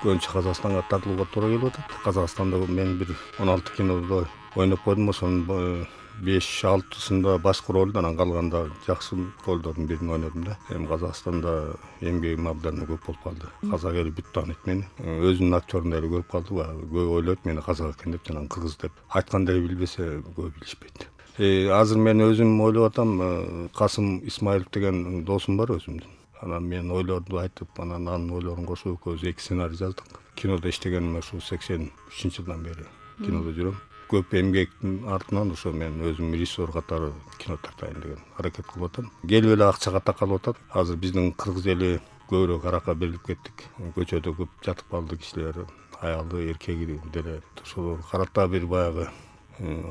көбүнчө Казакстанга тартылууга туура келип атат. Казакстанда мен бир 16 кинодо ойноп койдум, ошонун 5-6-сында башкы ролду, анан калганда жакшы ролдордун бирин ойнодум да. Эми Казакстанда эмгегим абдан көп болуп калды. Казак эли бүт тааныйт мени. Өзүнүн актёрундай эле көрүп калды. Көп ойлойт мени казак экен деп, жана кыргыз деп. Айтканда эле билбесе көп билишпейт. Азыр мен өзүм ойлоп атам, Касым Исмаилов деген досум бар өзүмдүн. Анан мен ойлорду айтып, анан анын ойлорун кошуп экөөбүз 2 сценарий жаздык. Кинодо иштегеним ошо 83-жылдан бери кинодо жүрөм. Көп эмгектин артынан ошо мен өзүм режиссер катары кино тартайын деген аракет кылып атам. Келип эле акчага такалып атат. Азыр биздин кыргыз эли көбүрөөк аракка берилип кеттик. Көчөдө көп жатып калды кишилер, аялы, эркеги деле. Ошол карата бир баягы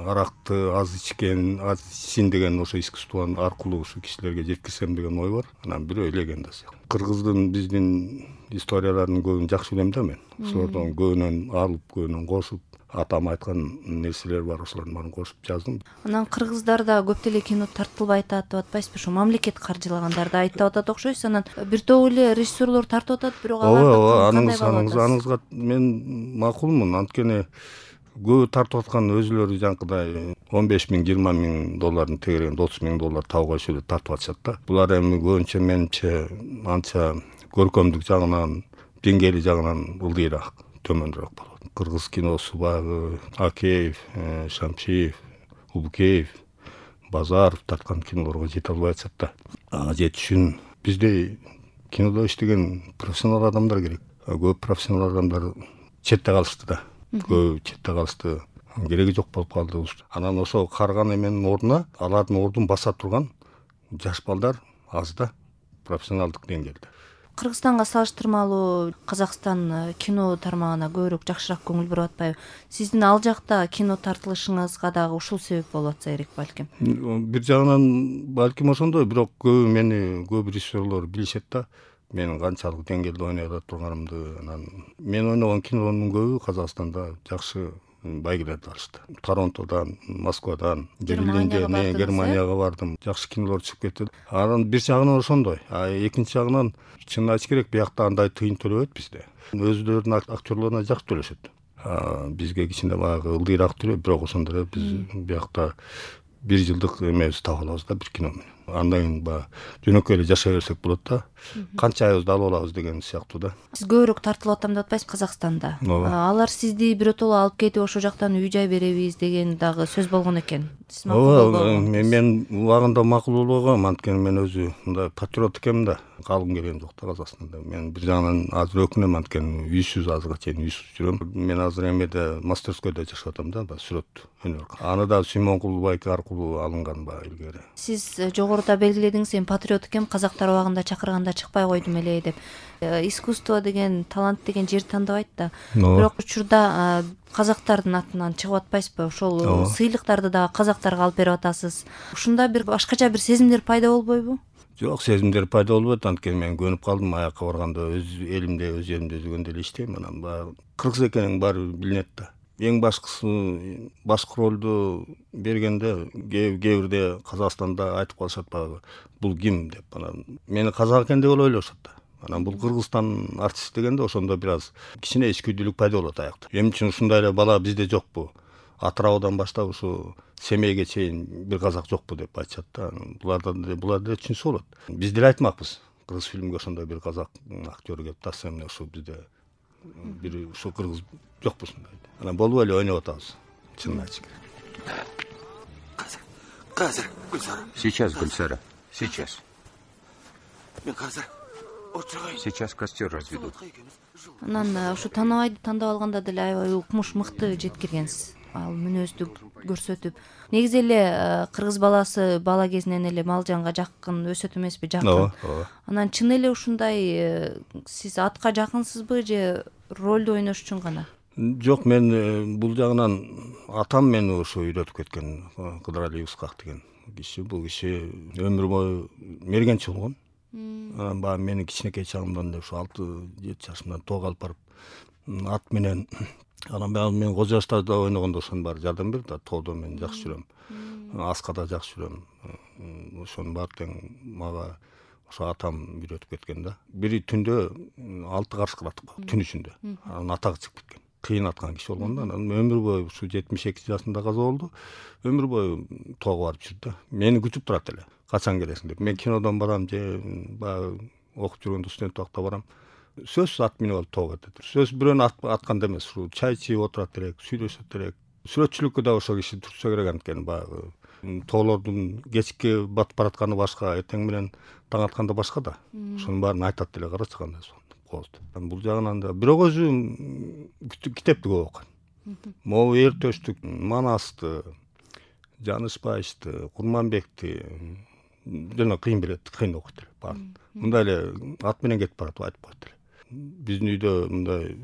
аракты аз ичсин деген ошо искусство аркылуу ушу кишилерге жеткирсем деген ой бар. Анан бирөө легенда сыяктуу. Кыргыздын биздин историяларын көбүн жакшы билем да мен. Ошолордон көбүнөн алып, көбүнөн кошуп, атам айткан нерселер бар, ошолордун баарын кошуп жаздым. Анан кыргыздарда көп деле кино тартылбай атат деп атпайсызбы? Ошо мамлекет каржылагандарды айтып атат окшойсуз. Анан бир топ эле режиссерлор тартып атат, бирок алар аныңызга мен макулмун. Анткени көбү тартып аткан өзүлөрү жанакыдай 15 миң, 20 миң доллардын тегерегинде 30 миң доллар табууга чейин тартып атышат да. Булар эми көбүнчө менимче анча көркөмдүк жагынан, деңгээли жагынан ылдыйраак, төмөнүрөөк болот. Кыргыз киносу баягы Акеев, Шамшиев, Убукеев, Базаров тарткан кинолорго жете албай атышат да. Ага жетиш үчүн бизде кинодо иштеген профессионал адамдар керек. Көп профессионал адамдар четте калышты да. Көп четте калышты. Кереги жок болуп калды. Анан ошо карган эменин ордуна алардын ордун баса турган жаш балдар аз да, профессионалдык деңгээлде. Кыргызстанга салыштырмалуу Казакстан кино тармагына көбүрөөк жакшыраак көңүл буруп атпайбы? Сиздин ал жакта кино тартылышыңызга дагы ушул себеп болуп атса керек балким. Бир жагынан балким ошондой, бирок көп режиссерлор билишет да. Менин канчалык деңгээлде ойной ала турганымды. Анан мен ойногон кинонун көбү Казакстанда жакшы байгелерди алышты. Торонтодан, Москвадан, Берлинден, Германияга бардым. Жакшы кинолор чыгып кетти. Анан бир жагынан ошондой. Экинчи жагынан чынын айтыш керек, биякта андай тыйын төлөбөйт бизде. Өзүлөрүнүн актерлоруна жакшы төлөшөт. Бизге кичине баягы ылдыйраак төлөйт, бирок ошондо эле биз биякта 1 жылдык эмебизди таап алабыз да, бир кино менен. Андан кийин баягы жөнөкөй эле жашай берсек болот да. Канча айыбызды алып алабыз деген сыяктуу да. Сиз көбүрөөк тартылып атам деп атпайсызбы Казакстанда? Алар сизди биротоло алып кетип ошол жактан үй-жай беребиз деген дагы сөз болгон экен. Сиз макул болбогонсуз? Мен убагында макул болбогом, анткени мен өзү мындай патриот экенмин да. Калгым келген жок да Казакстанда. Мен бир жагынан азыр өкүнөм, анткени үйсүз азыркыга чейин үйсүз жүрөм. Мен азыр эмеде мастерскойдо жашап атам да, сүрөт өнөр. Аны да Симон Кулбайк аркылуу алынган илгери. Сиз жогоруда белгиледиңиз, эми патриот экем, казактар убагында чакырганда чыкпай койдум эле деп. Искусство деген, талант деген жер тандабайт да. Бирок учурда казактардын атынан чыгып атпайсызбы? Ошол сыйлыктарды дагы казактарга алып берип атасыз. Ушунда бир башкача бир сезимдер пайда болбойбу? Жок, сезимдер пайда болбойт, анткени мен көнүп калдым. Аякка барганда өз элимде, өз жеримде жүргөндө эле иштейм. Анан баягы кыргыз экениң баары билинет да. Эң башкысы башкы ролду бергенде кээ бирде Казакстанда айтып калышат баягы, бул ким деп. Анан мени казак экен деп ойлошот да. Анан бул Кыргызстан артист дегенде ошондо бир аз кичине ичкүдүүлүк пайда болот аякта. Эмне үчүн ушундай эле бала бизде жокпу? Атыраудан баштап ушу Семейге чейин бир казак жокпу деп айтышат да. Булар деле түшүнсө болот. Биз деле айтмакпыз. Кыргыз фильмге ошондой бир казак актер келип атса, эмне ушу бизде бир ушу кыргыз жокпу ушундай. Анан болуп эле ойноп атабыз. Чынын айтыш керек. Казыр, Гүлсара. Сейчас, Гүлсара. Сейчас. Мен казыр отургай. Сейчас костер разведут. Анан ушу Танабайды тандап алганда деле аябай укмуш мыкты жеткиргенсиз. Ал мүнөздү көрсөтүп. Негизи эле кыргыз баласы бала кезинен эле Малжанга жакын өсөт эмеспи? Жакын. Анан чын эле ушундай сиз атка жакынсызбы же ролду ойнош үчүн гана? Жок, мен бул жагынан атам мени ошо үйрөтүп кеткен, Кыдыралиев Ускак деген киши. Бул киши өмүр бою мергенчи болгон. Анан баягы мени кичинекей чагымдан эле ошо 6-7 жашымдан тоого алып барып ат менен, анан баягы мен Кожо Жаштарда ойногондо ошонун баары жардам берди да. Тоодо мен жакшы жүрөм. Аскада жакшы жүрөм. Ошонун баары тең мага ошо атам үйрөтүп кеткен да. Бири түндө 6 карыс кылат го түн ичинде. Анын атагы чыгып кеткен. Кыйын аткан киши болгон да. Анан өмүр бою ушу 72 жашында каза болду. Өмүр бою тоого барып жүрдү да. Мени күтүп турат эле. Качан келесиң деп. Мен кинодон барам же баягы окуп жүргөндө студент убакта барам. Сөзсүз ат минип алып тоого кетет. Сөз бирөөнү атканда эмес, чай ичип отурат элек, сүйлөшөт элек. Сүрөтчүлүккө да ошол киши турса керек анткени баягы тоолордун кечки батып баратканы башка, эртең менен таң атканда башка да. Ошонун баарын айтат эле, карачы кандай кооз. Бул жагынан да бирок өзү китепти көп окуйт. Могу Эртөштүк, Манасты, Жанышбаевди, Курманбекти жана кыйын билет, кыйын окуйт эле баарын. Мындай эле ат менен кетип барат, айтып коет эле. Биздин үйдө мындай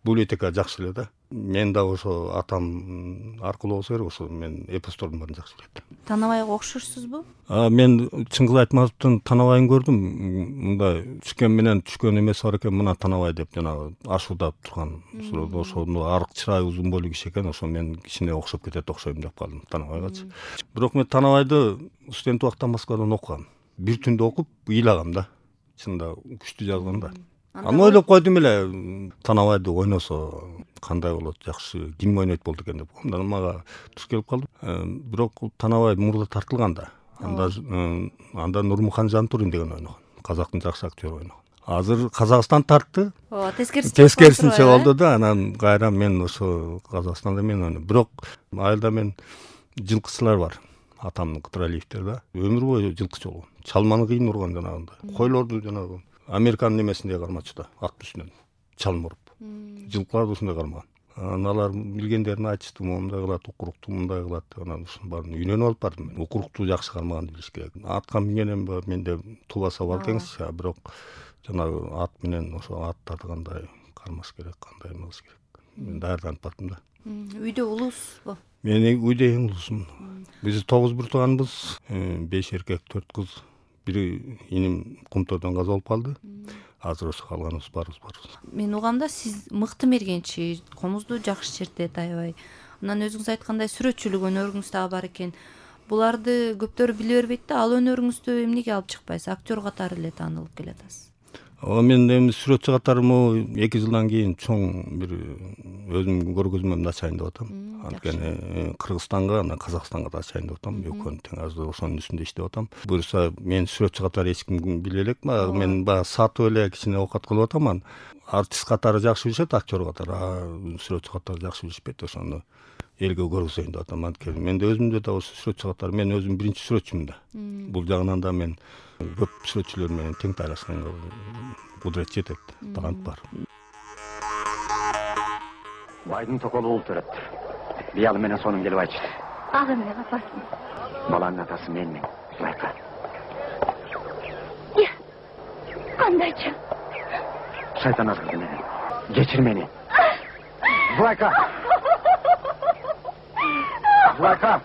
библиотека жакшы эле да. Мен да ошо атам аркылуу болсо керек, ошо мен эпостордун баарын жакшы билет. Танабайга окшошсузбу? Мен чынгыл айтмаспытын Танабайын көрдүм. Мындай түшкөн менен түшкөн эмеси бар экен, мына Танабай деп жанагы ашуудап турган. Ошону арык чырай, узун бойлуу киши экен. Ошо мен кичине окшоп кетет окшойм деп калдым Танабайгачы. Бирок мен Танабайды студент убакта Москвадан окугам. Бир түндө окуп ыйлагам да. Чында күчтүү жазган да. Аны ойлоп койдум эле, Танабайды ойносо кандай болот, жакшы ким ойнойт болду экен деп. Андан мага туш келип калды. Бирок Танабай мурда тартылган да. Анда Нурмухан Жантурин деген ойногон. Казактын жакшы актеру ойногон. Азыр Казакстан тартты. Тескерисинче болду да. Анан кайра мен ошо Казакстанда мен ойнойм. Бирок айылда мен жылкычылар бар. Атамдын Кытралиевдер да. Өмүр бою жылкычы болгон. Чалманы кыйын урган жанагындай. Койлорду жанагы Американын эмесиндей кармачу да, аттын үстүнөн чалым уруп. Жылкыларды ушундай кармаган. Алар билгендерин айтышты, мындай кылат, укурукту мындай кылат. Анан ушунун баарын үйрөнүп алып бардым. Укурукту жакшы кармаганды билиш керек. Атка мингенем менде тубаса бар экенсиз, бирок жанагы ат менен ошо аттарды кандай кармаш керек, кандай эмес керек. Мен даярданып бардым да. Үйдө улуусузбу? Мен үйдө эң улуусумун. Биз 9 бир тууганбыз, 5 эркек, 4 кыз. Бири иним Кумтойдон каза болуп калды. Азыр ошо калганыбыз барыбыз. Мен угамда сиз мыкты мергенчи, комузду жакшы чертет аябай. Анан өзүңүз айткандай сүрөтчүлүк өнөрүңүз дагы бар экен. Буларды көптөр биле бербейт да, ал өнөрүңүздү эмнеге алып чыкпайсыз? Актер катары эле таанылып келатасыз. Мен эми сүрөтчү катары 2 жылдан кийин чоң бир өзүм көргөзмөмдү ачайын деп атам. Анткени Кыргызстанга, анан Казакстанга да ачайын деп атам. Экөөнү тең азыр ошонун үстүндө иштеп атам. Буюрса мен сүрөтчү катары эч ким биле элек. Мен баягы сатып эле кичине оокат кылып атам. Артист катары жакшы билишет, актер катары, сүрөтчү катары жакшы билишпейт. Ошону элге көргөзөйүн деп атам. Анткени менде өзүмдө да ошо сүрөтчү катары, мен өзүм биринчи сүрөтчүмүн да. Бул жагынан да мен көп сүрөтчүлөр менен тең тайлашканга кудурет жетет, талант бар. Байдын токолу болуп берет. Биялы менен сонун келип айтышты. Ага эмне апасы? Баланын атасы менмин, Зулайка. Кандайча? Шайтан азгырды менен. Кечир мени. Зулайка! Зулайка!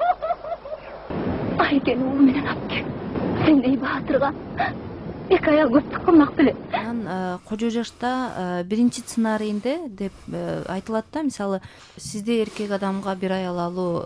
Айкен уулу менен алып кел. Сендей баатырга эки аял көптүк кылмак беле. Анан кожо жашта биринчи сценарийинде деп айтылат да, мисалы сизде эркек адамга бир аял алуу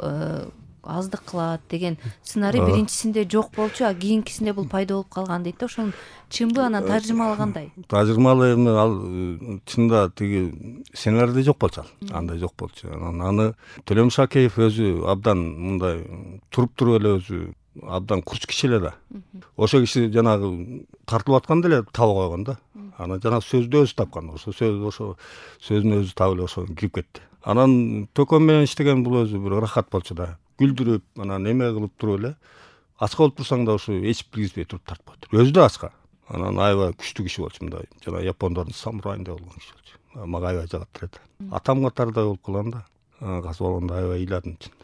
аздык кылат деген сценарий биринчисинде жок болчу, а кийинкисинде бул пайда болуп калган дейт да. Ошонун чынбы, анан тажырмалы кандай? Тажырмалы эми ал чында тиги сценарийде жок болчу ал. Андай жок болчу. Аны Төлөм Шакеев өзү абдан мындай туруп эле өзү абдан курч киши эле да. Ошо киши жанагы тартылып атканда эле таба койгон да. Анан жанагы сөздү өзү тапкан. Ошо сөзүн өзү таап эле ошо кирип кетти. Анан Төкөн менен иштеген бул өзү бир ырахат болчу да. Күлдүрүп, анан эме кылып туруп эле ачка болуп турсаң да ошо эч билгизбей туруп тартып коет. Өзү да ачка. Анан аябай күчтүү киши болчу, мындай жана япондордун самурайындай болгон киши болчу. Мага аябай жагат эле. Атам катардай болуп калган да. Каза болгондо аябай ыйладым чын.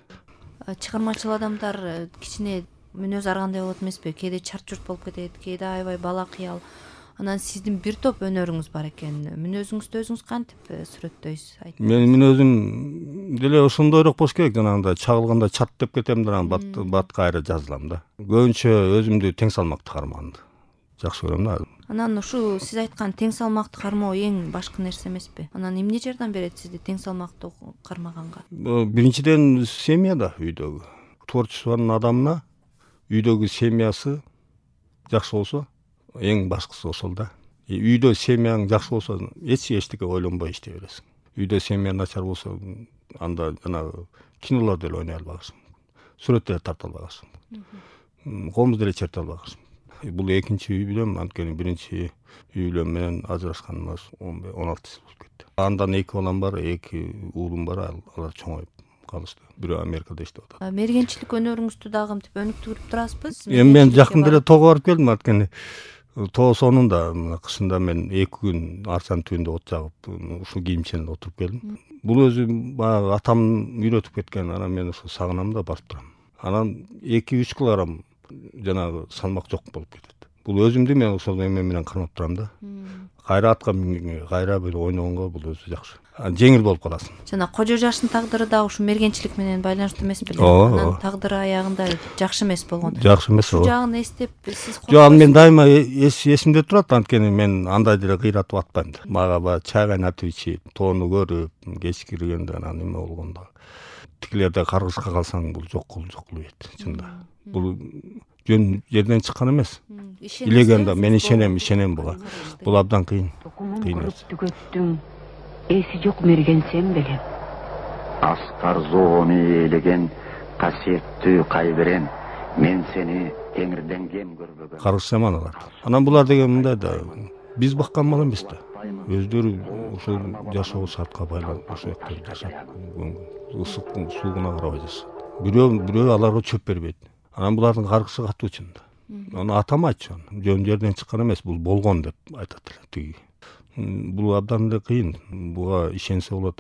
Чыгармачыл адамдар кичине мүнөз ар кандай болот эмеспи? Кээде чарт-чурт болуп кетет, кээде аябай бала кыял. Анан сиздин бир топ өнөрүңүз бар экен. Мүнөзүңүздү өзүңүз кантип сүрөттөйсүз? Менин мүнөзүм деле ошондойрок болуш керек. Жанагындай чагылганда чат деп кетем да, батка айра жазылам да. Көбүнчө өзүмдү тең салмактуу кармаганды жакшы көрөм да. Анан ушу сиз айткан тең салмактуу кармоо эң башкы нерсе эмеспи? Анан эмне жардам берет сизди тең салмактуу кармаганга? Биринчиден семья да, үйдөгү творчествонун адамына үйдөгү семьясы жакшы болсо, эң башкысы ошол да. Үйдө семьяң жакшы болсо эчтеке ойлонбой иштей бересиң. Үйдө семья начар болсо анда жанагы кинолор деле ойной албайсың. Сүрөт деле тарта албайсың. Комуз деле черте албайсың. Бул экинчи үй билем, анткени биринчи үй бүлөм менен ажырашканыма 16 жыл болуп кетти. Андан 2 балам бар, 2 уулум бар, алар чоңоюп калышты. Бирөө Америкада иштеп атат. Мергенчилик өнөрүңүздү дагы мынтип өнүктүрүп турасызбы? Мен жакында эле тоого барып келдим, анткени тоо сонунда кышында мен 2 күн арчанын түбүндө от жагып, ушул кийимченде отуруп келдим. Бул өзү баягы атам үйрөтүп кеткен, анан мен ошо сагынам да барып турам. Анан 2-3 килограмм жанагы салмак жок болуп кетет. Бул өзүмдү мен ошол эме менен кармап турам да. Кайра атка мингенге, кайра бир ойногонго бул өзү жакшы. Жеңил болуп каласың. Жана кожо жаштын тагдыры дагы ушу мергенчилик менен байланыштуу эмес беле? Анын тагдыры аягында жакшы эмес болгон. Жакшы эмес. Ушул жагын эстеп сиз Жок, аны мен дайыма эсимде турат, анткени мен андай деле кыйратып атпайм да. Мага баягы чай кайнатып ичип, тоону көрүп, кеч киргенде анан эме болгондо тикилерде каргышка калсаң бул жок болбойт, чында. Бул жөн жерден чыккан эмес. Илегенде мен ишенем буга. Бул абдан кыйын нерсе. Түгөттүң эси жок мерген сен белем. Аскар зоону ээлеген касиеттүү кайберен, мен сени теңирден кем көрбөгөн. Каргыш жаман алат. Анан булар деген мындай да, биз баккан мал эмес да. Өздөрү ушул жашоо шартка байланып ошол жакта жашап, ысык сууна карабай жашашат. Бирөө аларга чөп бербейт. Анан булардын каргышы катуу чында. Аны атам айтчу, жөн жерден чыккан эмес, бул болгон деп айтат эле тиги. Бул абдан эле кыйын. Буга ишенсе болот.